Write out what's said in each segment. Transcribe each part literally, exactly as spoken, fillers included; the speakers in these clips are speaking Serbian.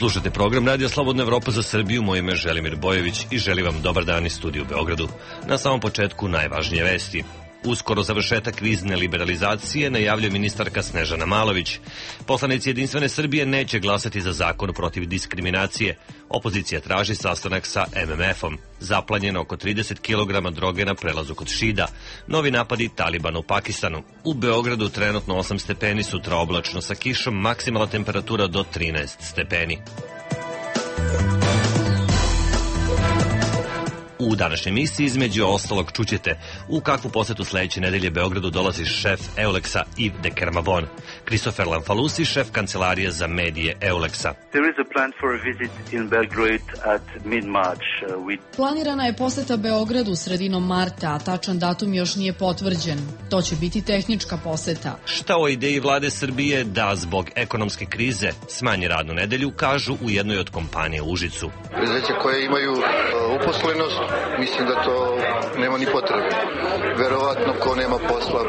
Slušate program Radija Slobodna Evropa za Srbiju, moje ime je Želimir Bojević i želim vam dobar dan iz studija u Beogradu. Na samom početku najvažnije vesti. Uskoro završetak vizne liberalizacije najavljuje ministarka Snežana Malović. Poslanici Jedinstvene Srbije neće glasati za zakon protiv diskriminacije. Opozicija traži sastanak sa em em efom. Zaplanjeno oko trideset kilograma droge na prelazu kod Šida. Novi napadi Talibana u Pakistanu. U Beogradu trenutno osam stepeni, sutra oblačno sa kišom, maksimalna temperatura do trinaest stepeni. U današnjoj emisiji između ostalog čućete u kakvu posetu sledeće nedelje Beogradu dolazi šef Euleksa Yves de Kermavon, Christopher Lanfalusi, šef kancelarije za medije Euleksa. Planirana je poseta Beogradu sredinom marta, a tačan datum još nije potvrđen. To će biti tehnička poseta. Šta o ideji vlade Srbije da zbog ekonomske krize smanji radnu nedelju, kažu u jednoj od kompanija u Užicu. Preduzeća koje imaju uposlenost, mislim da to nema ni potrebe. Verovatno ko nema posla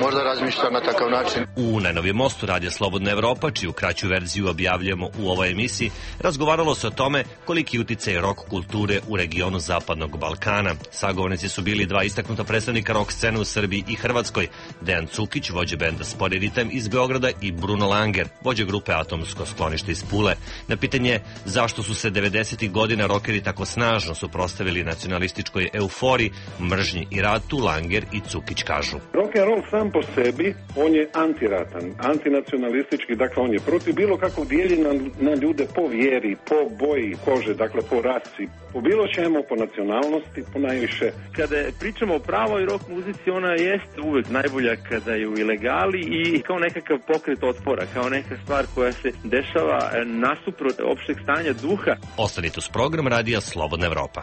možda razmišlja na takav način. U najnovijem mostu Radija Slobodna Evropa, čiju kraću verziju objavljujemo u ovoj emisiji, razgovaralo se o tome koliki uticaj rock kulture u regionu Zapadnog Balkana. Sagovornici su bili dva istaknuta predstavnika rock scene u Srbiji i Hrvatskoj, Dejan Cukić, vođa benda Spori ritam iz Beograda, i Bruno Langer, vođa grupe Atomsko sklonište iz Pule. Na pitanje zašto su se devedesetih godina rokeri tako snažno suprotstavili nacionalističkoj euforiji, mržnji i ratu, Langer i Cukić kažu. Rock and roll sam po sebi, on je antiratan, antinacionalistički, dakle on je protiv bilo kakvog dijeljenja na ljude po vjeri, po boji kože, dakle po rasi, po bilo čemu, po nacionalnosti, po najviše. Kada pričamo o pravoj rock muzici, ona jeste uvek najbolja kada je u ilegali i kao nekakav pokret otpora, kao neka stvar koja se dešava nasuprot opšteg stanja duha. Ostanite uz program Radija Slobodna Evropa.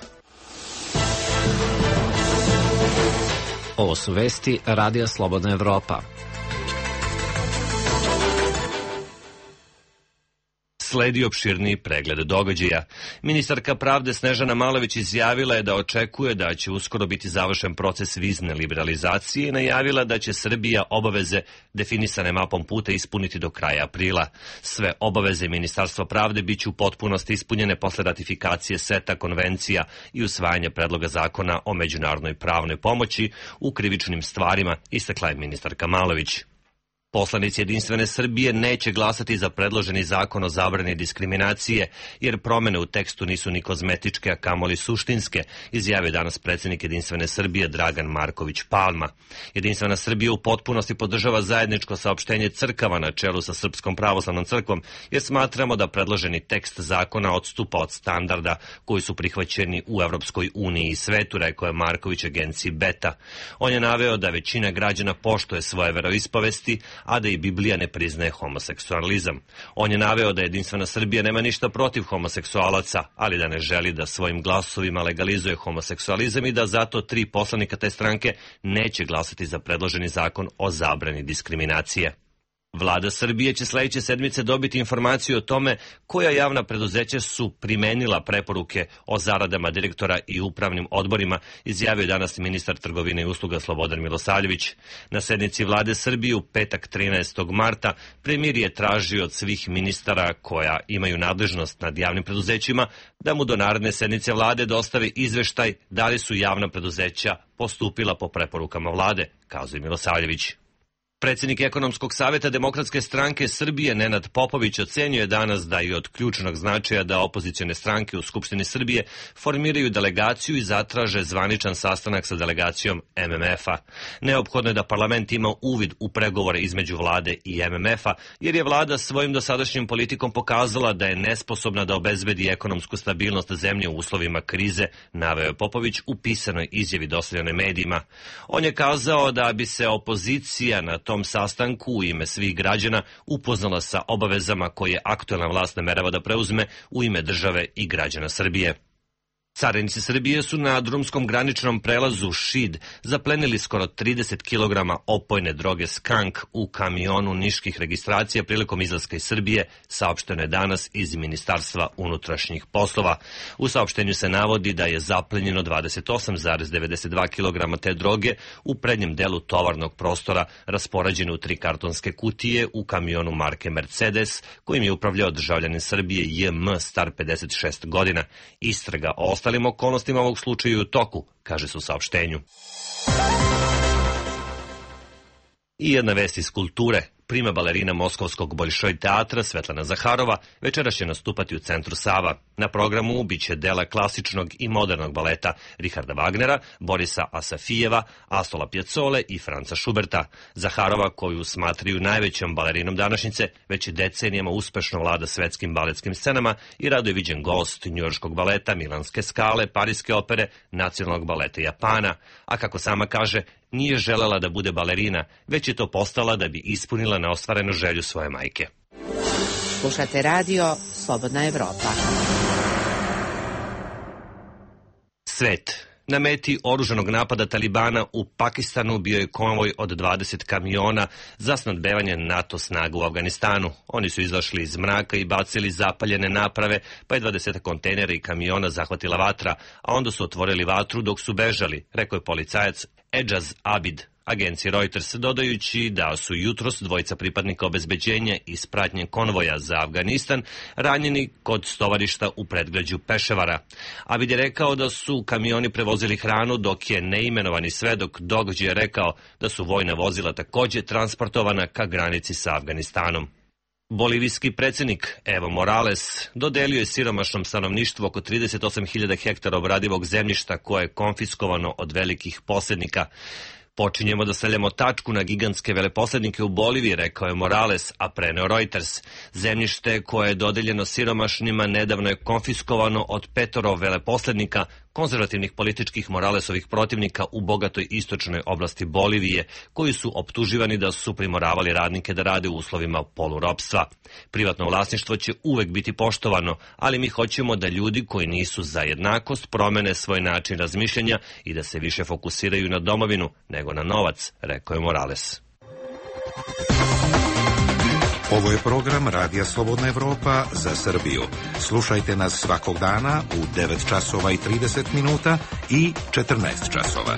Ovo su vesti Radija Slobodna Evropa. Sledi opširniji pregled događaja. Ministarka pravde Snežana Malović izjavila je da očekuje da će uskoro biti završen proces vizne liberalizacije i najavila da će Srbija obaveze definisane mapom puta ispuniti do kraja aprila. Sve obaveze Ministarstva pravde biće u potpunosti ispunjene posle ratifikacije seta konvencija i usvajanja predloga zakona o međunarodnoj pravnoj pomoći u krivičnim stvarima, istakla je ministarka Malović. Poslanici Jedinstvene Srbije neće glasati za predloženi zakon o zabrani diskriminacije, jer promene u tekstu nisu ni kozmetičke, a kamoli suštinske, izjavio danas predsjednik Jedinstvene Srbije Dragan Marković Palma. Jedinstvena Srbija u potpunosti podržava zajedničko saopštenje crkava na čelu sa Srpskom pravoslavnom crkvom, jer smatramo da predloženi tekst zakona odstupa od standarda koji su prihvaćeni u Evropskoj uniji i svetu, rekao je Marković agenciji Beta. On je naveo da većina građana poštuje svoje veroispovesti, a da i Biblija ne priznaje homoseksualizam. On je naveo da Jedinstvena Srbija nema ništa protiv homoseksualaca, ali da ne želi da svojim glasovima legalizuje homoseksualizam i da zato tri poslanika te stranke neće glasati za predloženi zakon o zabrani diskriminacije. Vlada Srbije će sledeće sedmice dobiti informaciju o tome koja javna preduzeća su primenila preporuke o zaradama direktora i upravnim odborima, izjavio danas ministar trgovine i usluga Slobodan Milosavljević. Na sednici Vlade Srbije u petak trinaestog marta premijer je tražio od svih ministara koja imaju nadležnost nad javnim preduzećima da mu do naredne sednice Vlade dostave izveštaj da li su javna preduzeća postupila po preporukama Vlade, kazuje Milosavljević. Predsjednik Ekonomskog savjeta Demokratske stranke Srbije Nenad Popović ocenio je danas da je od ključnog značaja da opozicione stranke u Skupštini Srbije formiraju delegaciju i zatraže zvaničan sastanak sa delegacijom em em efa. Neophodno je da parlament ima uvid u pregovore između vlade i em em efa, jer je vlada svojim dosadašnjim politikom pokazala da je nesposobna da obezbedi ekonomsku stabilnost zemlje u uslovima krize, naveo je Popović u pisanoj izjavi dostavljenoj medijima. On je kazao da bi se opozicija na tom sastanku u ime svih građana upoznala sa obavezama koje aktuelna vlast namerava da preuzme u ime države i građana Srbije. Carinici Srbije su na drumskom graničnom prelazu Šid zaplenili skoro trideset kilograma opojne droge skank u kamionu niških registracija prilikom izlaska iz Srbije, saopšteno je danas iz Ministarstva unutrašnjih poslova. U saopštenju se navodi da je zaplenjeno dvadeset osam zarez devedeset dva kilograma te droge u prednjem delu tovarnog prostora, raspoređene u tri kartonske kutije u kamionu marke Mercedes, kojim je upravljao državljanin Srbije J M star pedeset šest godina. Istraga o ostalim okolnostima ovog slučaja u toku, kaže se u saopštenju. I jedna vest iz kulture. Prima balerina Moskovskog Boljšoj teatra Svetlana Zaharova večeras će nastupati u centru Sava. Na programu biće dela klasičnog i modernog baleta Richarda Wagnera, Borisa Asafijeva, Astola Pjecole i Franca Šuberta. Zaharova, koju smatraju najvećom balerinom današnjice, već decenijama uspešno vlada svetskim baletskim scenama i rado je viđen gost njujorškog baleta, Milanske Skale, Pariske opere, Nacionalnog baleta Japana. A kako sama kaže, nije želela da bude balerina, već je to postala da bi ispunila neostvarenu želju svoje majke. Slušate radio Slobodna Evropa. Svet. Na meti oružanog napada Talibana u Pakistanu bio je konvoj od dvadeset kamiona za snabdevanje NATO snaga u Afganistanu. Oni su izašli iz mraka i bacili zapaljene naprave, pa je dvadeset kontejnera i kamiona zahvatila vatra, a onda su otvorili vatru dok su bežali, rekao je policajac Ejaz Abid agenciji Reuters, dodajući da su jutros dvojica pripadnika obezbeđenja iz pratnje konvoja za Afganistan ranjeni kod stovarišta u predgrađu Peševara. Abid je rekao da su kamioni prevozili hranu, dok je neimenovani svedok događaja rekao da su vojna vozila takođe transportovana ka granici sa Afganistanom. Bolivijski predsjednik Evo Morales dodelio je siromašnom stanovništvu oko trideset osam hiljada hektara obradivog zemljišta koje je konfiskovano od velikih posjednika. Počinjemo da stavljamo tačku na gigantske veleposlednike u Boliviji, rekao je Morales, a preneo Reuters. Zemljište koje je dodeljeno siromašnima nedavno je konfiskovano od petoro veleposlednika, konzervativnih političkih Moralesovih protivnika u bogatoj istočnoj oblasti Bolivije, koji su optuživani da su primoravali radnike da rade u uslovima poluropstva. Privatno vlasništvo će uvek biti poštovano, ali mi hoćemo da ljudi koji nisu za jednakost promene svoj način razmišljanja i da se više fokusiraju na domovinu nego na novac, rekao je Morales. Ovo je program Radija Slobodna Evropa za Srbiju. Slušajte nas svakog dana u devet časova i trideset minuta i četrnaest časova.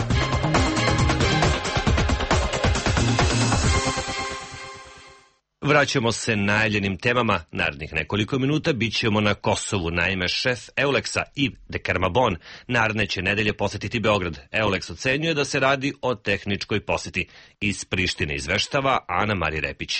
Vraćamo se najavljenim temama. Narednih nekoliko minuta bit ćemo na Kosovu. Naime, šef Euleksa Yves de Kermabon naredne će nedelje posetiti Beograd. Euleks ocenjuje da se radi o tehničkoj poseti. Iz Prištine izveštava Ana Mari Repić.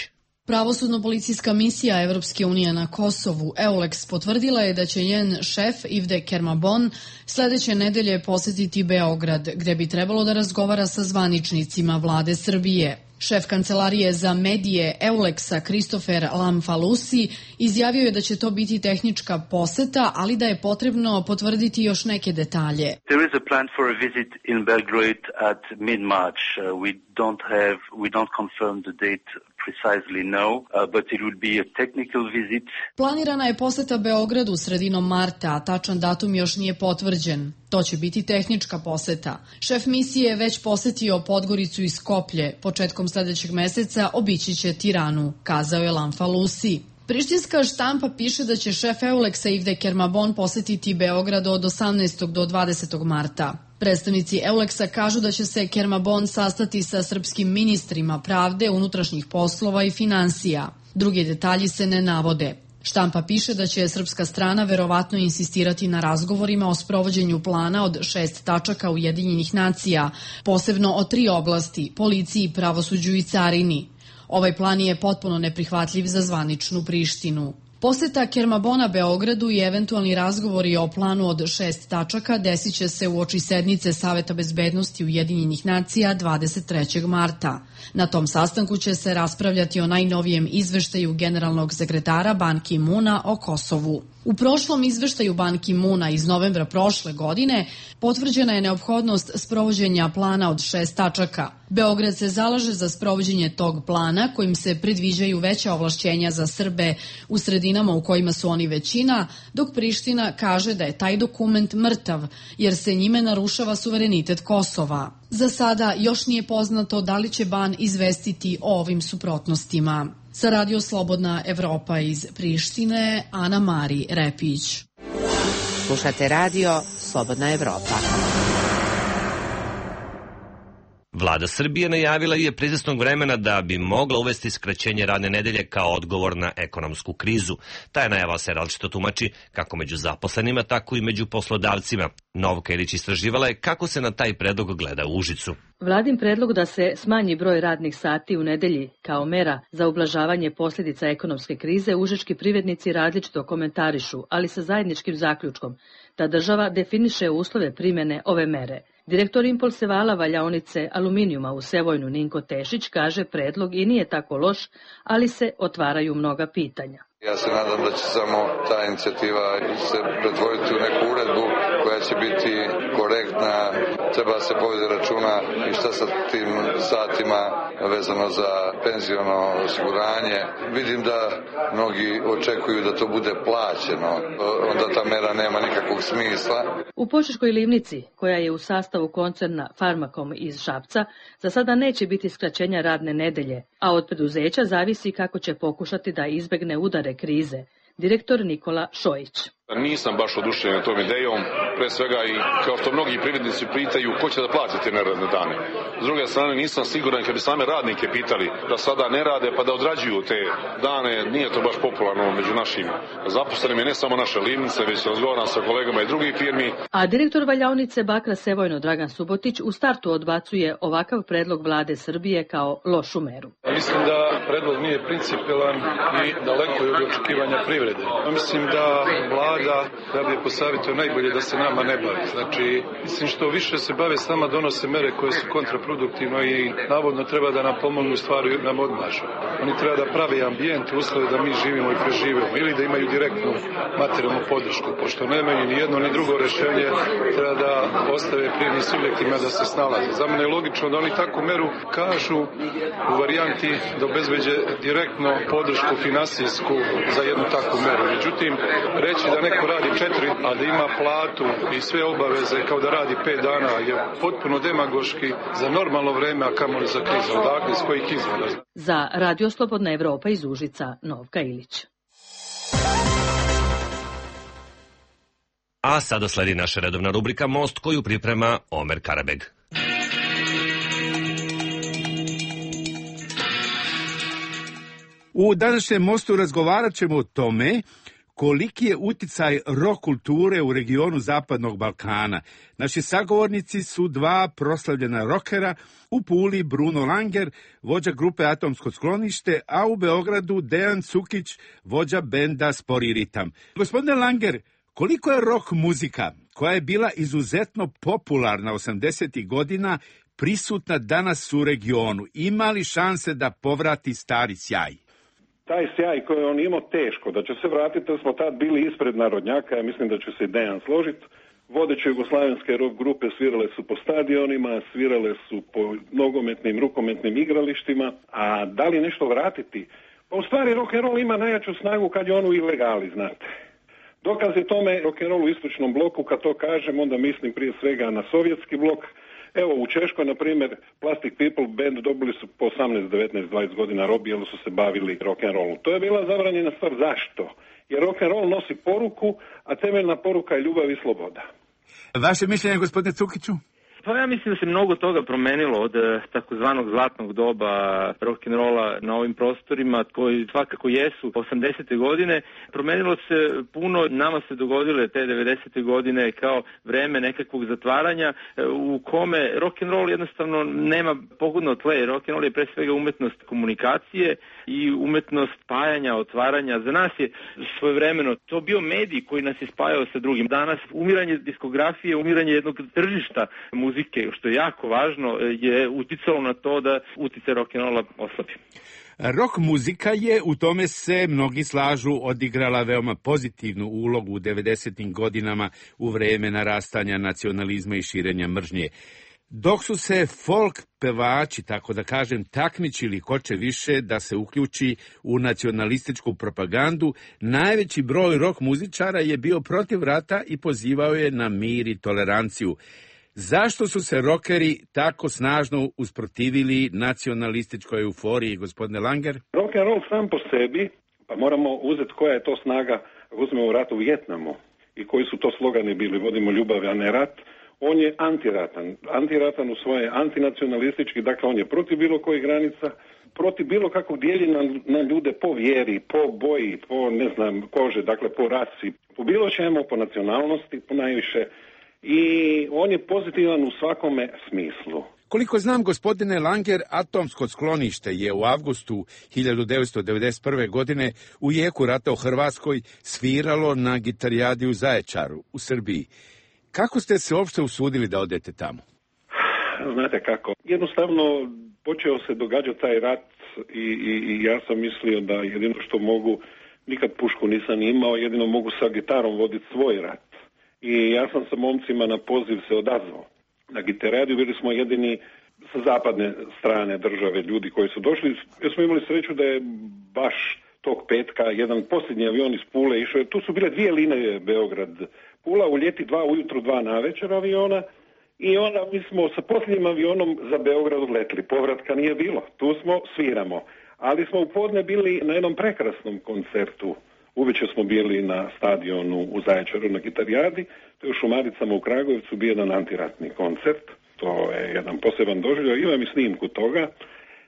Pravosudno-policijska misija Evropske unije na Kosovu, Euleks, potvrdila je da će njen šef Yves de Kermabon sledeće nedelje posetiti Beograd, gde bi trebalo da razgovara sa zvaničnicima vlade Srbije. Šef kancelarije za medije Euleksa Kristofer Lamfalusi izjavio je da će to biti tehnička poseta, ali da je potrebno potvrditi još neke detalje. There is a plan for a visit in Belgrade at mid-March. Uh, we don't have, we don't confirm the date precisely now, uh, but it will be a technical visit. Planirana je poseta Beogradu sredinom marta, a tačan datum još nije potvrđen. To će biti tehnička poseta. Šef misije je već posetio Podgoricu i Skoplje. Početkom sledećeg meseca obići će Tiranu, kazao je Lamfalusi. Prištinska štampa piše da će šef Euleksa Yves de Kermabon posetiti Beograd od osamnaestog do dvadesetog marta. Predstavnici Euleksa kažu da će se Kermabon sastati sa srpskim ministrima pravde, unutrašnjih poslova i finansija. Drugi detalji se ne navode. Štampa piše da će srpska strana verovatno insistirati na razgovorima o sprovođenju plana od šest tačaka Ujedinjenih nacija, posebno o tri oblasti, policiji, pravosuđu i carini. Ovaj plan je potpuno neprihvatljiv za zvaničnu Prištinu. Poseta Kermabona Beogradu i eventualni razgovori o planu od šest tačaka desit će se uoči sednice Saveta bezbednosti Ujedinjenih nacija dvadeset trećeg marta. Na tom sastanku će se raspravljati o najnovijem izveštaju generalnog sekretara Ban Ki-moona o Kosovu. U prošlom izveštaju Ban Ki-moona iz novembra prošle godine potvrđena je neophodnost sprovođenja plana od šest tačaka. Beograd se zalaže za sprovođenje tog plana kojim se predviđaju veća ovlašćenja za Srbe u sredinama u kojima su oni većina, dok Priština kaže da je taj dokument mrtav jer se njime narušava suverenitet Kosova. Za sada još nije poznato da li će Ban izvestiti o ovim suprotnostima. Sa Radio Slobodna Evropa iz Prištine, Ana Mari Repić. Slušate Radio Slobodna Evropa. Vlada Srbije najavila je pre izvesnog vremena da bi mogla uvesti skraćenje radne nedelje kao odgovor na ekonomsku krizu. Ta najava se različito tumači kako među zaposlenima, tako i među poslodavcima. Novka Ilić istraživala je kako se na taj predlog gleda u Užicu. Vladin predlog da se smanji broj radnih sati u nedelji kao mera za ublažavanje posljedica ekonomske krize užički privrednici različito komentarišu, ali sa zajedničkim zaključkom da država definiše uslove primjene ove mere. Direktor Impulsevala valjaonice aluminijuma u Sevojnu Ninko Tešić kaže predlog i nije tako loš, ali se otvaraju mnoga pitanja. Ja se nadam da će samo ta inicijativa se pretvoriti u neku uredbu koja će biti korektna, treba se povesti računa i šta sa tim satima vezano za penziono osiguranje. Vidim da mnogi očekuju da to bude plaćeno, onda ta mera nema nikakvog smisla. U Požeškoj livnici, koja je u sastavu koncerna Farmakom iz Šapca, za sada neće biti skraćenja radne nedelje, a od preduzeća zavisi kako će pokušati da izbegne udare krize. Direktor Nikola Šojić. Nisam baš oduševljen tom idejom, pre svega i kao što mnogi privrednici pitaju ko će da plati te neradne dane. S druge strane nisam siguran kad bi same radnike pitali da sada ne rade pa da odrađuju te dane, nije to baš popularno među našim zaposlenim, ne samo naše livnice, već razgovaram sa kolegama i drugih firmi. A direktor valjaonice Bakra Sevojno Dragan Subotić u startu odbacuje ovakav predlog vlade Srbije kao lošu meru. Mislim da predlog nije principijelan i daleko je od očekivanja privrede. Mislim da vlada da da bi posavjetio najbolje da se nama ne bavi. Znači, mislim što više se bave s nama donose mere koje su kontraproduktivno i navodno treba da nam pomognu stvari nam odmažu. Oni treba da prave ambijent, uslove da mi živimo i preživimo ili da imaju direktnu materijalnu podršku. Pošto nemaju ni jedno ni drugo rešenje, treba da ostave privrednim subjektima da se snalaze. Za mene je logično da oni takvu meru kažu u varijanti da obezbeđe direktno podršku finansijsku za jednu takvu meru. Međutim, reći da neko radi četiri, a da ima platu i sve obaveze kao da radi pet dana je potpuno demagoški za normalno vreme, a kamoli za krizu. Dakle, iz kojih izvora? Za Radio Slobodna Evropa iz Užica, Novka Ilić. A sada sledi naša redovna rubrika Most koju priprema Omer Karabeg. U današnjem Mostu razgovarat ćemo o tome koliki je uticaj rock kulture u regionu Zapadnog Balkana. Naši sagovornici su dva proslavljena rokera, u Puli Bruno Langer, vođa grupe Atomsko sklonište, a u Beogradu Dejan Cukić, vođa benda Spori ritam. Gospodine Langer, koliko je rock muzika, koja je bila izuzetno popularna osamdesetih godina, prisutna danas u regionu? Ima li šanse da povrati stari sjaj? Taj sjaj koji on imao teško, da će se vratiti, da smo tad bili ispred narodnjaka, ja mislim da će se Dejan složiti. Vodeće jugoslavenske rock grupe svirale su po stadionima, svirale su po nogometnim, rukometnim igralištima, a da li nešto vratiti? Pa u stvari rock and roll ima najjaču snagu kad je on u ilegali, znate. Dokaz je tome rock and roll u istočnom bloku, kad to kažem, onda mislim prije svega na sovjetski blok. Evo, u Češkoj, na primjer, Plastic People band dobili su po osamnaest, devetnaest, dvadeset godina robije, jer su se bavili rock and rollu. To je bila zabranjena stvar. Zašto? Jer rock and roll nosi poruku, a temeljna poruka je ljubav i sloboda. Vaše mišljenje, gospodine Cukiću? Pa ja mislim da se mnogo toga promenilo od takozvanog zlatnog doba rock'n'rolla na ovim prostorima koji svakako jesu osamdesete godine. Promenilo se puno, nama se dogodile te devedesete godine kao vreme nekakvog zatvaranja u kome rock'n'roll jednostavno nema pogodno tle. Rock'n'roll je pre svega umetnost komunikacije i umetnost spajanja, otvaranja. Za nas je svojevremeno to bio medij koji nas je spajao sa drugim. Danas umiranje diskografije, umiranje jednog tržišta muzike muzike, što je jako važno, je uticalo na to da uticaj rock'n'rolla oslabi. Rock muzika je, u tome se mnogi slažu, odigrala veoma pozitivnu ulogu u devedesetim godinama u vreme narastanja nacionalizma i širenja mržnje. Dok su se folk pevači, tako da kažem, takmičili ko će više da se uključi u nacionalističku propagandu, najveći broj rock muzičara je bio protiv rata i pozivao je na mir i toleranciju. Zašto su se rokeri tako snažno usprotivili nacionalističkoj euforiji, gospodine Langer? Rock and roll sam po sebi, pa moramo uzeti koja je to snaga, ako uzmemo rat u Vijetnamu i koji su to slogani bili, vodimo ljubav, a ne rat, on je antiratan. Antiratan u svoje antinacionalistički, dakle on je protiv bilo kojih granica, protiv bilo kakvog dijeljenja na, na ljude po vjeri, po boji, po ne znam, kože, dakle po rasi, po bilo čemu, po nacionalnosti, po najviše. I on je pozitivan u svakome smislu. Koliko znam, gospodine Langer, atomsko sklonište je u avgustu hiljadu devetsto devedeset prve. godine u jeku rata u Hrvatskoj sviralo na gitarijadi u Zaječaru, u Srbiji. Kako ste se uopšte usudili da odete tamo? Znate kako, jednostavno počeo se događati taj rat i, i, i ja sam mislio da jedino što mogu, nikad pušku nisam imao, jedino mogu sa gitarom voditi svoj rat. I ja sam sa momcima na poziv se odazvao. Na gitarijadu bili smo jedini sa zapadne strane države ljudi koji su došli. Ja smo imali sreću da je baš tog petka jedan posljednji avion iz Pule išao. Tu su bile dvije linije Beograd Pula, u ljeti dva ujutru, dva navečer aviona. I onda mi smo sa posljednjim avionom za Beograd odletili. Povratka nije bilo. Tu smo, sviramo. Ali smo u podne bili na jednom prekrasnom koncertu. Uveče smo bili na stadionu u Zaječaru na gitarijadi, to je u Šumaricama u Kragujevcu bio jedan antiratni koncert, to je jedan poseban doživljaj, imam i snimku toga.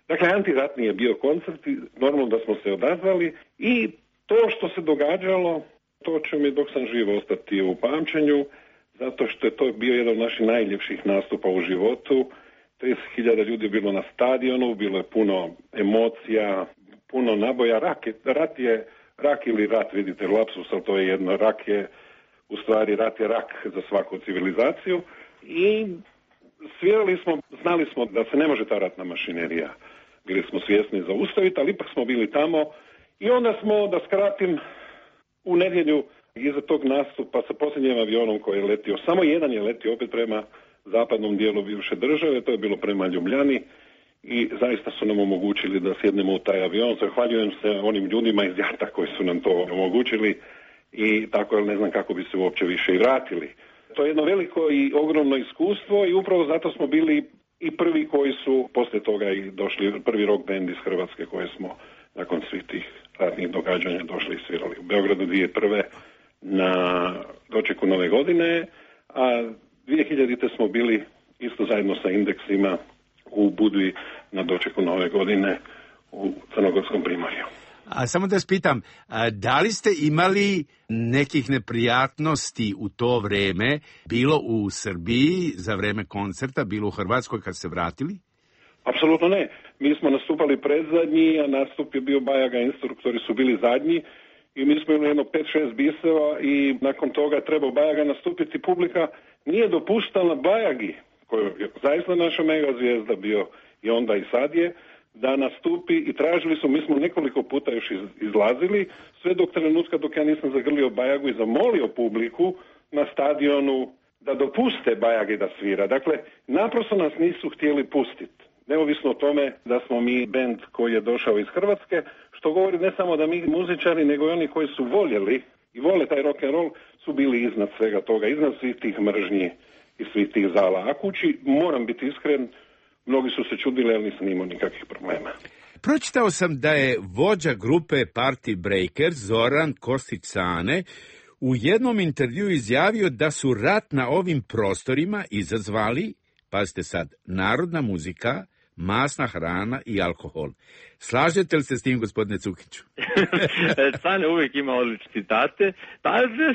Dakle, antiratni je bio koncert i normalno da smo se odazvali i to što se događalo, to će mi dok sam živo ostati u pamćenju, zato što je to bio jedan od naših najljepših nastupa u životu. trideset hiljada ljudi je bilo na stadionu, bilo je puno emocija, puno naboja, rak je, rat je rak ili rat, vidite, lapsus, ali to je jedno, rak je, u stvari rat je rak za svaku civilizaciju i svirali smo, znali smo da se ne može ta ratna mašinerija, bili smo svjesni zaustaviti, ali ipak smo bili tamo i onda smo, da skratim, u nedjelju iza tog nastupa sa posljednjim avionom koji je letio, samo jedan je letio opet prema zapadnom dijelu bivše države, to je bilo prema Ljubljani, i zaista su nam omogućili da sjednemo u taj avion. Zahvaljujem se onim ljudima iz Jata koji su nam to omogućili i tako, jer ne znam kako bi se uopće više i vratili. To je jedno veliko i ogromno iskustvo i upravo zato smo bili i prvi koji su poslije toga i došli, prvi rock band iz Hrvatske koje smo nakon svih tih ratnih događanja došli i svirali u Beogradu dvije tisuće prve. na dočeku Nove godine, a dvije hiljadite smo bili isto zajedno sa Indeksima u Budvi na dočeku Nove godine u Crnogorskom primorju. A samo da vas pitam, da li ste imali nekih neprijatnosti u to vreme, bilo u Srbiji za vreme koncerta, bilo u Hrvatskoj kad ste vratili? Apsolutno ne. Mi smo nastupali predzadnji, a nastup je bio Bajaga, instruktori su bili zadnji i mi smo imali jedno pet šest biseva i nakon toga trebao Bajaga nastupiti. Publika nije dopuštala Bajagi, koji je zaista naša mega zvijezda bio i onda i sad je, da nastupi i tražili su, mi smo nekoliko puta još izlazili, sve dok trenutka dok ja nisam zagrlio Bajagu i zamolio publiku na stadionu da dopuste Bajagi da svira. Dakle, naprosto nas nisu htjeli pustiti. Neovisno o tome da smo mi bend koji je došao iz Hrvatske, što govori ne samo da mi muzičari, nego i oni koji su voljeli i vole taj rock and roll, su bili iznad svega toga, iznad svih tih mržnji i svih tih zala. A kući, moram biti iskren, mnogi su se čudili, ali nisam imao nikakvih problema. Pročitao sam da je vođa grupe Party Breakers, Zoran Kostić-Cane, u jednom intervju izjavio da su rat na ovim prostorima izazvali, pazite sad, narodna muzika, masna hrana i alkohol. Slažete li se s tim, gospodine Cukiću? Cane uvijek ima odlične citate. Pa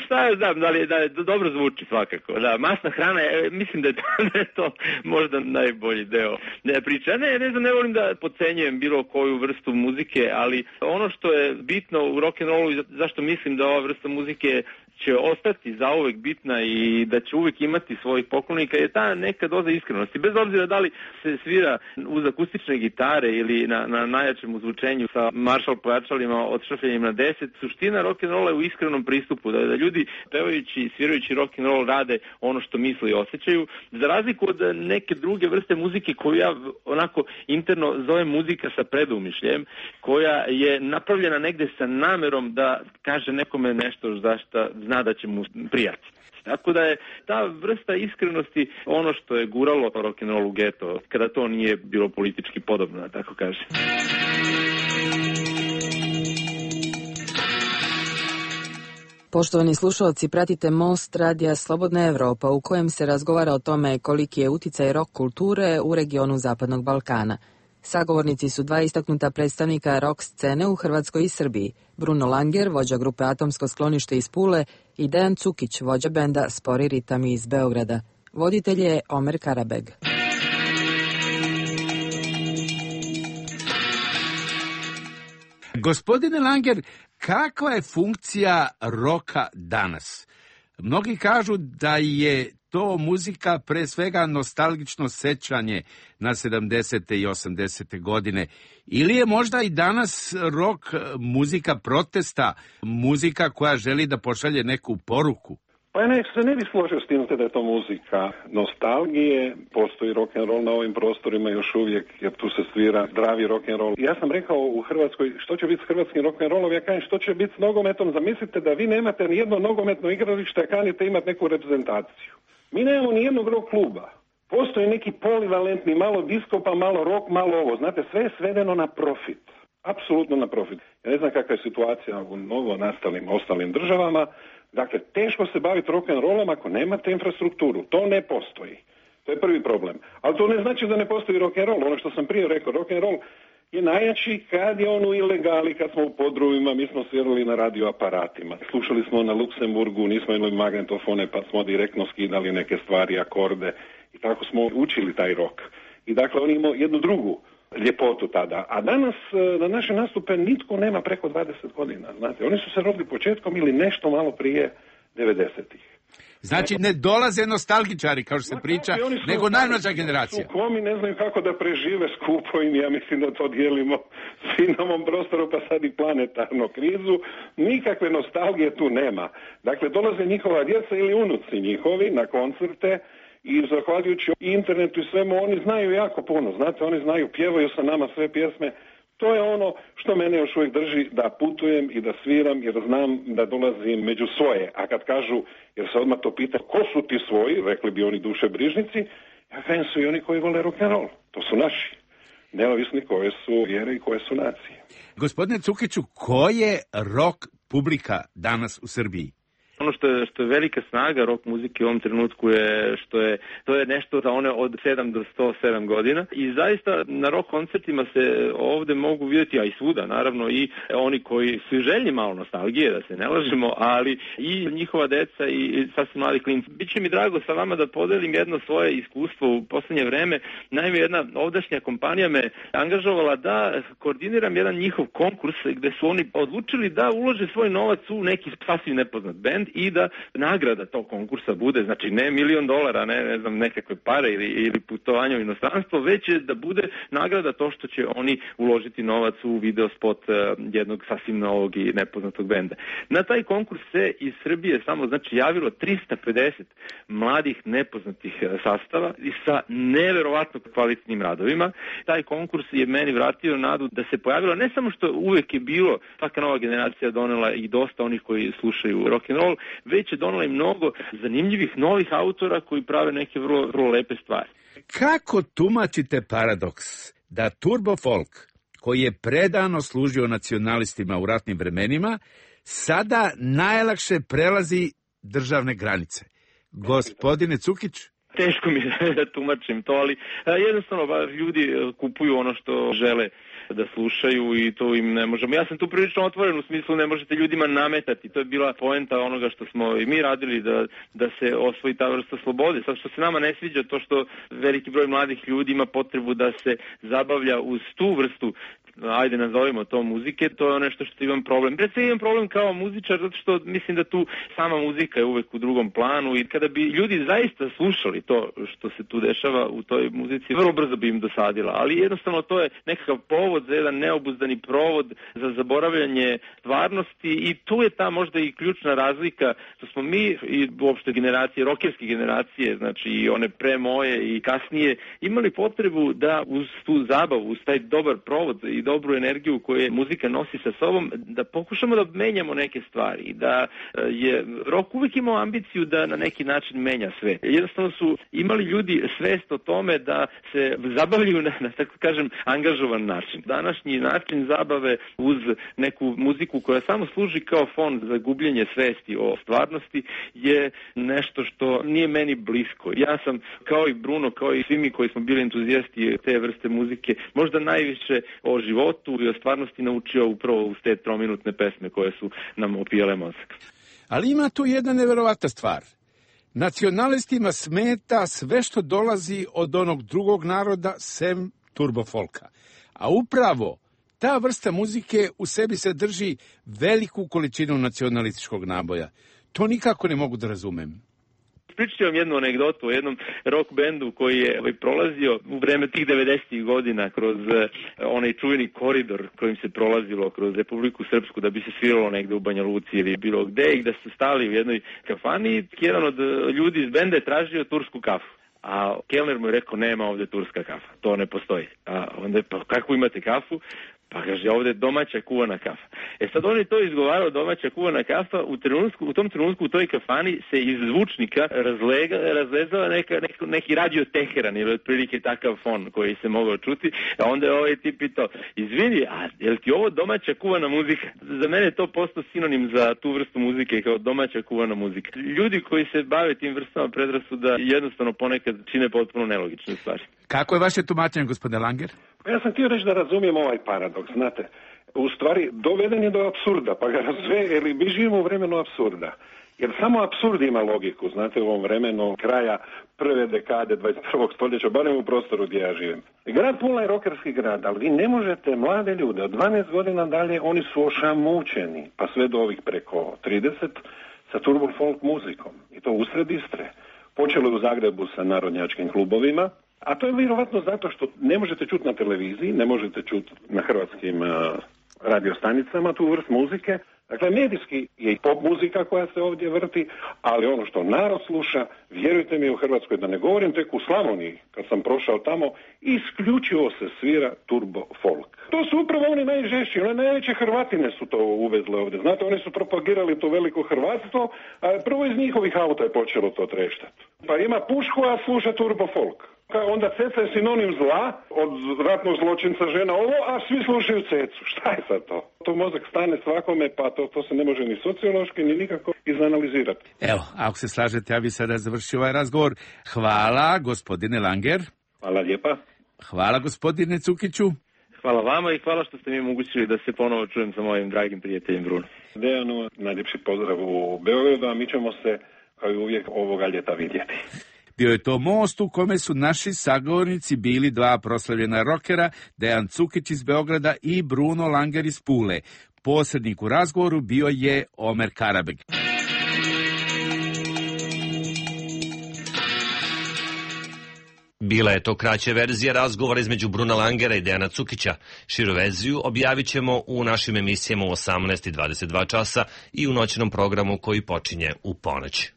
šta je, znam, da li da je, dobro zvuči svakako. Da, masna hrana, je, mislim da je, to, da je to možda najbolji deo priče. Ne, ne znam, ne volim da podcenjujem bilo koju vrstu muzike, ali ono što je bitno u rock'n'rollu i zašto mislim da ova vrsta muzike će ostati zauvek bitna i da će uvek imati svojih poklonika je ta neka doza iskrenosti. Bez obzira da li se svira uz akustične gitare ili na, na najjačem uzvučenju sa Marshall pojačalima od šrafljenjem na deset, suština rock'n'rolla je u iskrenom pristupu, da, da ljudi pevajući i svirajući rock'n'roll rade ono što misle i osjećaju, za razliku od neke druge vrste muzike koju ja onako interno zovem muzika sa predumišljem, koja je napravljena negde sa namerom da kaže nekome nešto zašto zna da će mu prijati. Tako da je ta vrsta iskrenosti ono što je guralo rock'n'roll u geto, kada to nije bilo politički podobno, da tako kaže. Poštovani slušalci, pratite Most radija Slobodna Evropa u kojem se razgovara o tome koliki je uticaj rock kulture u regionu Zapadnog Balkana. Sagovornici su dva istaknuta predstavnika rock scene u Hrvatskoj i Srbiji, Bruno Langer, vođa grupe Atomsko sklonište iz Pule, i Dejan Cukić, vođa benda Spori ritami iz Beograda. Voditelj je Omer Karabeg. Gospodine Langer, kakva je funkcija roka danas? Mnogi kažu da je to muzika pre svega nostalgično sećanje na sedamdesete i osamdesete godine. Ili je možda i danas rock muzika protesta, muzika koja želi da pošalje neku poruku? Pa ja ne, se ne bi složio s tim da je to muzika nostalgije, postoji rock'n'roll na ovim prostorima još uvijek, jer tu se svira zdravi rock'n'roll. Ja sam rekao u Hrvatskoj, što će biti s hrvatskim rock'n'rollom, ja kažem što će biti s nogometom, zamislite da vi nemate ni jedno nogometno igralište, a kanite imati neku reprezentaciju. Mi nemamo ni jednog rock kluba. Postoji neki polivalentni, malo disko, pa malo rock, malo ovo. Znate, sve je svedeno na profit. Apsolutno na profit. Ja ne znam kakva je situacija u novo nastalim ostalim državama. Dakle, teško se baviti rock'n'rollom ako nemate infrastrukturu. To ne postoji. To je prvi problem. Ali to ne znači da ne postoji rock'n'roll. Ono što sam prije rekao, rock'n'roll je najjači kad je on u ilegali, kad smo u podrumima, mi smo svirali na radioaparatima. Slušali smo na Luksemburgu, nismo imali magnetofone, pa smo direktno skidali neke stvari, akorde i tako smo učili taj rock. I dakle, on imao jednu drugu ljepotu tada. A danas na naše nastupe nitko nema preko dvadeset godina. Znate, oni su se rodili početkom ili nešto malo prije devedesetih. Znači ne dolaze nostalgičari, kao što se priča, nego najmlađa generacija. Komi ne znaju kako da prežive skupo i ja mislim da to dijelimo svi na ovom prostoru, pa sad i planetarnu krizu. Nikakve nostalgije tu nema. Dakle, dolaze njihova djeca ili unuci njihovi na koncerte i zahvaljujući internetu i svemu, oni znaju jako puno. Znate, oni znaju, pjevaju sa nama sve pjesme. To je ono što mene još uvijek drži da putujem i da sviram, jer znam da dolazim među svoje. A kad kažu, jer se odmah to pita, ko su ti svoji, rekli bi oni dušebrižnici, ja kažem su i oni koji vole rock'n'roll. To su naši. Neovisni koje su vjere i koje su nacije. Gospodine Cukiću, ko je rock publika danas u Srbiji? Ono što je, što je velika snaga rock muzike u ovom trenutku je što je to je nešto za one od sedam do sto sedam godina i zaista na rock koncertima se ovde mogu vidjeti, a i svuda naravno, i oni koji su željni malo nostalgije, da se ne lažemo, ali i njihova deca i sasvim mladi klinci. Biće mi drago sa vama da podelim jedno svoje iskustvo u poslednje vreme. Naime, jedna ovdašnja kompanija me angažovala da koordiniram jedan njihov konkurs gde su oni odlučili da ulože svoj novac u neki sasvim nepoznat bend i da nagrada tog konkursa bude, znači ne milion dolara, ne, ne znam, nekakve pare ili, ili putovanje u inostranstvo, već je da bude nagrada to što će oni uložiti novac u video spot uh, jednog sasvim novog i nepoznatog benda. Na taj konkurs se iz Srbije samo, znači, javilo trista pedeset mladih nepoznatih sastava i sa neverovatno kvalitetnim radovima. Taj konkurs je meni vratio nadu da se pojavilo, ne samo što uvek je bilo, svaka nova generacija donela i dosta onih koji slušaju rock'n'roll, već je donela i mnogo zanimljivih novih autora koji prave neke vrlo, vrlo lepe stvari. Kako tumačite paradoks da turbo folk, koji je predano služio nacionalistima u ratnim vremenima, sada najlakše prelazi državne granice? Gospodine Cukić? Teško mi je da tumačim to, ali jednostavno ljudi kupuju ono što žele da slušaju i to im ne možemo. Ja sam tu prilično otvoren u smislu ne možete ljudima nametati. To je bila poenta onoga što smo i mi radili da, da se osvoji ta vrsta slobode. Sad što se nama ne sviđa to što veliki broj mladih ljudi ima potrebu da se zabavlja uz tu vrstu, ajde nazovimo to muzike, to je nešto što imam problem. Pred sve imam problem kao muzičar, zato što mislim da tu sama muzika je uvek u drugom planu i kada bi ljudi zaista slušali to što se tu dešava u toj muzici, vrlo brzo bi im dosadila, ali jednostavno to je nekakav povod za jedan neobuzdani provod za zaboravljanje stvarnosti i tu je ta možda i ključna razlika što smo mi i uopšte generacije, rokerske generacije, znači i one pre moje i kasnije, imali potrebu da uz tu zabavu, uz taj dobar provod i dobru energiju koju muzika nosi sa sobom, da pokušamo da menjamo neke stvari, da je rock uvijek imao ambiciju da na neki način menja sve. Jednostavno su imali ljudi svest o tome da se zabavljaju na, na tako kažem, angažovan način. Današnji način zabave uz neku muziku koja samo služi kao fon za gubljenje svesti o stvarnosti je nešto što nije meni blisko. Ja sam, kao i Bruno, kao i svi mi koji smo bili entuzijasti te vrste muzike, možda najviše o životu i o stvarnosti naučio upravo uz te trominutne pesme koje su nam opijale mozak. Ali ima tu jedna neverovatna stvar. Nacionalistima smeta sve što dolazi od onog drugog naroda sem turbofolka. A upravo ta vrsta muzike u sebi sadrži veliku količinu nacionalističkog naboja. To nikako ne mogu da razumem. Pričat ću vam jednu anegdotu o jednom rock bendu koji je ovaj, prolazio u vreme tih devedesetih godina kroz eh, onaj čuveni koridor kojim se prolazilo kroz Republiku Srpsku da bi se sviralo negde u Banja Luci ili bilo gde i da su stali u jednoj kafani i jedan od ljudi iz benda je tražio tursku kafu. A kelner mu je rekao nema ovde turska kafa, to ne postoji. A onda je pa kako imate kafu? Pa kaže, ovdje je domaća kuvana kafa. E sad on je to izgovarao, domaća kuvana kafa, u, trenutku, u tom trenutku u toj kafani se iz zvučnika razlega, razlezala neka, neki, neki radio Teheran ili otprilike takav fon koji se mogao čuti. A onda je ovaj tip pitao, izvini, a je li ti ovo domaća kuvana muzika? Za mene je to postao sinonim za tu vrstu muzike kao domaća kuvana muzika. Ljudi koji se bave tim vrstama predrasuda jednostavno ponekad čine potpuno nelogične stvari. Kako je vaše tumačenje, gospodine Langer? Ja sam htio reći da razumijem ovaj paradoks, znate. U stvari, doveden je do apsurda, pa ga razve, ili mi živimo u vremenu apsurda. Jer samo apsurd ima logiku, znate, u ovom vremenu kraja prve dekade dvadeset prvog stoljeća, barem u prostoru gdje ja živim. Grad Pula je rokerski grad, ali vi ne možete mlade ljude, od dvanaest godina dalje, oni su ošamućeni, pa sve do ovih preko trideset, sa turbo folk muzikom. I to usred Istre. Počelo je u Zagrebu sa narodnjačkim klubovima, a to je vjerovatno zato što ne možete čuti na televiziji, ne možete čuti na hrvatskim uh, radiostanicama tu vrst muzike. Dakle, medijski je i pop muzika koja se ovdje vrti, ali ono što narod sluša, vjerujte mi u Hrvatskoj, da ne govorim tek u Slavoniji, kad sam prošao tamo, isključivo se svira turbo folk. To su upravo oni najžešći, one najveće Hrvatine su to uvezle ovdje. Znate, oni su propagirali to veliko hrvatstvo, a prvo iz njihovih auta je počelo to treštati. Pa ima pušku, a sluša turbo folk. Onda ceca je sinonim zla, od ratnog zločinca žena ovo, a svi slušaju cecu. Šta je sad to? To mozak stane svakome, pa to, to se ne može ni sociološki, ni nikako izanalizirati. Evo, ako se slažete, ja bi sada završio ovaj razgovor. Hvala, gospodine Langer. Hvala lijepa. Hvala, gospodine Cukiću. Hvala vama i hvala što ste mi omogućili da se ponovo čujem sa mojim dragim prijateljem Bruno. Dejanu, najljepši pozdrav u Beogradu, a mi ćemo se, kao i uvijek, ovoga ljeta vidjeti. Bio je to most u kome su naši sagovornici bili dva proslavljena rokera, Dejan Cukić iz Beograda i Bruno Langer iz Pule. Posrednik u razgovoru bio je Omer Karabeg. Bila je to kraća verzija razgovora između Bruna Langera i Dejana Cukića. Širu verziju objavit ćemo u našim emisijama u osamnaest i dvadeset dva časa i u noćnom programu koji počinje u ponoć.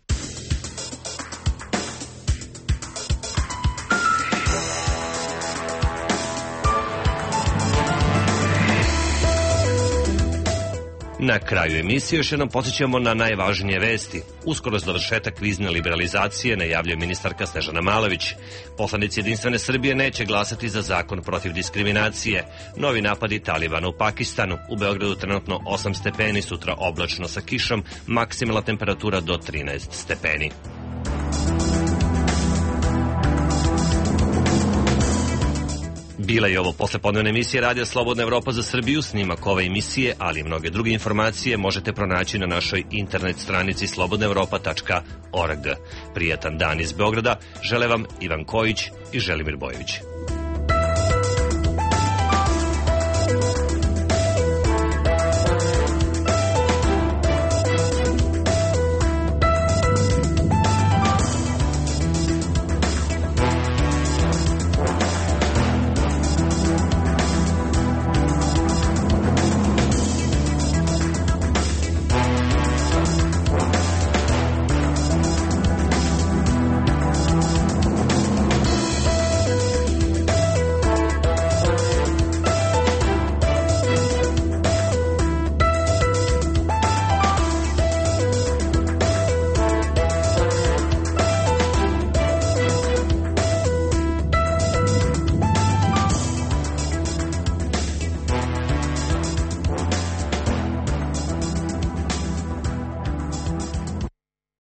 Na kraju emisije još jednom podsjećamo na najvažnije vesti. Uskoro završetak vizne liberalizacije najavljuje ministarka Snežana Malović. Poslanici Jedinstvene Srbije neće glasati za zakon protiv diskriminacije. Novi napadi Talibana u Pakistanu. U Beogradu trenutno osam stepeni, sutra oblačno sa kišom, maksimalna temperatura do trinaest stepeni. Bila je ovo poslepodnevna emisija Radija Slobodna Evropa za Srbiju. Snimak ove emisije, ali i mnoge druge informacije možete pronaći na našoj internet stranici slobodna evropa tačka org. Prijatan dan iz Beograda žele vam Ivan Kojić i Želimir Bojović.